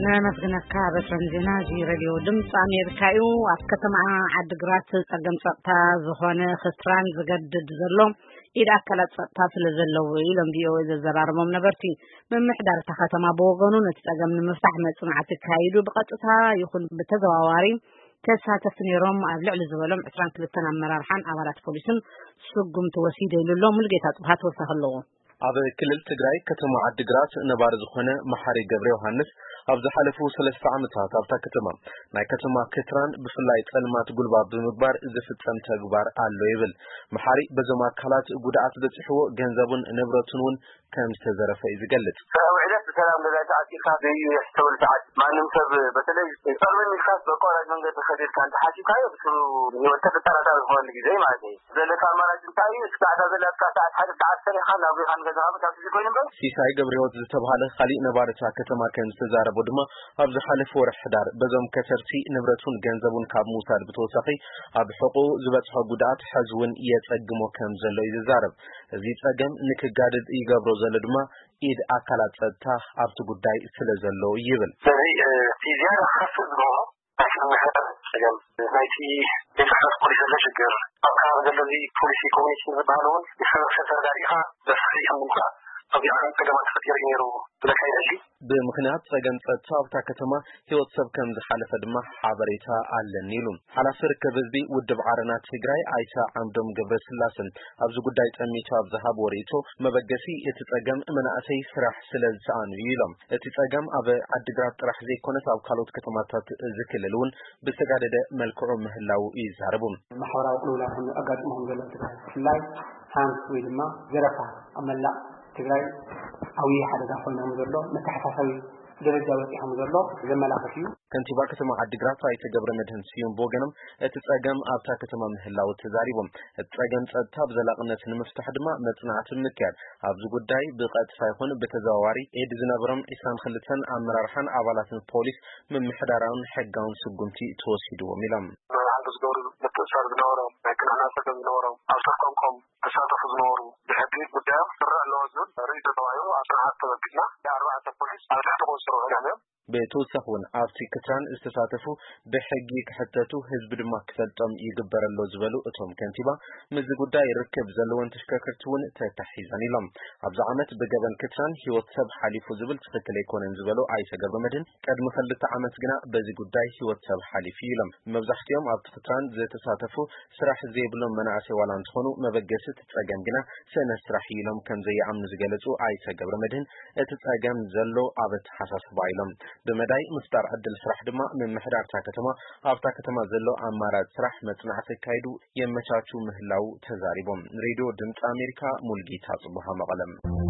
ነመስግነካ በቶም ዜና እዚ ሬድዮ ድምፂ ኣሜሪካ እዩ። ኣብ ከተማ ዓድግራት ፀገም ፀጥታ ዝኾነ ክትራን ዝገድድ ዘሎ ኢድ ኣካላት ፀጥታ ስለ ዘለዉ ኢሎም ቪኦኤ ዘዘራረቦም ነበርቲ። ምምሕዳር እታ ከተማ ብወገኑ ነቲ ፀገም ንምፍታሕ መፅናዕቲ ኣካይዱ ብቐጥታ ይኹን ብተዘዋዋሪ ተሳተፍቲ ነይሮም ኣብ ልዕሊ ዝበሎም ዕስራን ክልተን ኣመራርሓን ኣባላት ፖሊስን ስጉምቲ ወሲደ ኢሉ ኣሎ። ሙሉጌታ ጽብሃ ተወሳኺ ኣለዎ። ኣብ ክልል ትግራይ ከተማ ዓድግራት ነባሪ ዝኾነ መሓሪ ገብረ ዮሃንስ ኣብ ዝሓለፉ ሰለስተ ዓመታት ኣብታ ከተማ ናይ ከተማ ክትራን ብፍላይ ጸልማት ጉልባብ ብምግባር ዝፍጸም ተግባር ኣሎ ይብል። መሓሪ በዞም ኣካላት ጉድኣት በጺሕዎ ገንዘቡን ንብረቱን እውን ከም ዝተዘረፈ እዩ ዝገልጽ። ውዕለት ብሰላም ገዛ ተዓፂካ ዘይዩ የስተውል ሰዓት ማንም ሰብ በተለይ ጸልመን ኢልካስ በቋራጭ መንገዲ ከዲርካ እንተሓሲብካዮ ብስሩ ህይወት ተጠራጣሪ ዝኾነሉ ግዜ ማለት እዩ። ዘለካ ኣማራጭ እንታይ እዩ? እስካዕ እታ ዘለካ ሰዓት ሓደ ሰዓት ሰሪሕካ ናብ ሪኻን ገዛኻ ምእታው ትችል ኮይኑ እምበር። ሲሳይ ገብረህይወት ዝተባህለ ካሊእ ነባሪ እታ ከተማ ከም ዝተዛረቦ ድማ፣ ኣብ ዝሓለፈ ወርሒ ሕዳር በዞም ከሰርሲ ንብረቱን ገንዘቡን ካብ ምውሳድ ብተወሳኺ፣ ኣብ ሕቑኡ ዝበፅሖ ጉድኣት ሕዚ እውን የፀግሞ ከም ዘሎ እዩ ዝዛረብ። እዚ ፀገም ንክጋድድ ይገብሮ ዘሎ ድማ ኢድ ኣካላት ፀጥታ ኣብቲ ጉዳይ ስለ ዘሎ ይብል። ስለዚ እቲ ዝያዳ ክኸፍእ ዝገብሮ ናይ ሰብ ምሕዳር ጸገም፣ ናይቲ ቤት ጽሕፈት ፖሊስ ዘሎ ሽግር፣ ኣብ ከባቢ ዘሎ እዚ ፖሊሲ ኮሚኒኬሽን ዝበሃል እውን ንሕብረተሰብ ተረዳዲእኻ ዘፍሪ ከም ምምጻእ ኣብዚኣ ጸገማት ተፈጢሩ እዩ ነይሩ ክብለካ ይደሊ። ብምኽንያት ጸገም ጸጥታ ኣብታ ከተማ ህይወት ሰብ ከም ዝሓለፈ ድማ ሓበሬታ ኣለኒ ኢሉ። ሓላፊ ርክብ ህዝቢ ውድብ ዓረና ትግራይ ኣይተ ዓምዶም ገብረስላሰን ኣብዚ ጉዳይ ጠሚቱ ኣብ ዝሃብዎ ርእይቶ፣ መበገሲ እቲ ጸገም መናእሰይ ስራሕ ስለ ዝሰኣኑ እዩ ኢሎም። እቲ ጸገም ኣብ ዓድግራት ጥራሕ ዘይኮነስ ኣብ ካልኦት ከተማታት እዚ ክልል እውን ብዝተጋደደ መልክዑ ምህላዉ ይዛረቡ። ማሕበራዊ ቅልውላው ከም ኣጋጥሞ ከም ዘሎ ትግራይ ብፍላይ ሃንስ ወይ ድማ ዘረፋ ኣብ መላእ ትግራይ ዓብዪ ሓደጋ ኮይኖም ዘሎ መተሓሳሰቢ ደረጃ በፂሖም ዘሎ ዘመላኽት እዩ። ከንቲባ ከተማ ዓድግራት ኣይተ ገብረ መድህን ስዩም ብወገኖም እቲ ጸገም ኣብታ ከተማ ምህላዉ ተዛሪቦም። እቲ ጸገም ጸጥታ ብዘላቕነት ንምፍታሕ ድማ መጽናዕቲ ምክያድ፣ ኣብዚ ጉዳይ ብቐጥታ ይኹን ብተዘዋዋሪ ኢድ ዝነበሮም ዒስራን ክልተን ኣመራርሓን ኣባላትን ፖሊስ ምምሕዳራውን ሕጋውን ስጉምቲ ተወሲድዎም ኢሎም። መርሓ ዝገብሩ ምትእሳር ዝነበሮም፣ ናይ ቅንዕና ጸገም ዝነበሮም፣ ኣብ ተቋምቆም ተሳተፉ ዝነበሩ ብሕጊ ጉዳዮም ክስራዕ ኣለዎ ዝብል ርእይቶ ተባሂሉ ኣብ ስርዓት ተበጊስና። ኣርባዕተ ፖሊስ ኣብ ትሕቲ ቁጽጥር ውዒሎም እዮም። ብተወሳኺ እውን ኣብቲ ክትራን ዝተሳተፉ ብሕጊ ክሕተቱ፣ ህዝቢ ድማ ክፈልጦም ይግበር ኣሎ ዝበሉ እቶም ከንቲባ፣ ምስዚ ጉዳይ ርክብ ዘለወን ተሽከርከርቲ እውን ተታሒዘን ኢሎም። ኣብዚ ዓመት ብገበን ክትራን ህይወት ሰብ ሓሊፉ ዝብል ትኽክል ኣይኮነን ዝበሉ ኣይተ ገብረመድህን፣ ቅድሚ ክልተ ዓመት ግና በዚ ጉዳይ ህይወት ሰብ ሓሊፉ ኢሎም። መብዛሕትኦም ኣብቲ ክትራን ዝተሳተፉ ስራሕ ዘይብሎም መናእሰይ ዋላ እንተኾኑ፣ መበገሲ እቲ ጸገም ግና ስእነት ስራሕ እዩ ኢሎም ከም ዘይኣምኑ ዝገለጹ ኣይተ ገብረመድህን፣ እቲ ጸገም ዘሎ ኣብ ኣተሓሳስባ ኢሎም። ብመዳይ ምፍጣር ዕድል ስራሕ ድማ ምምሕዳር እታ ከተማ ኣብታ ከተማ ዘሎ ኣማራጺ ስራሕ መጽናዕቲ ኣካይዱ የመቻቹ ምህላዉ ተዛሪቦም። ሬድዮ ድምፂ ኣሜሪካ፣ ሙልጌታ ጽቡሃ መቐለም።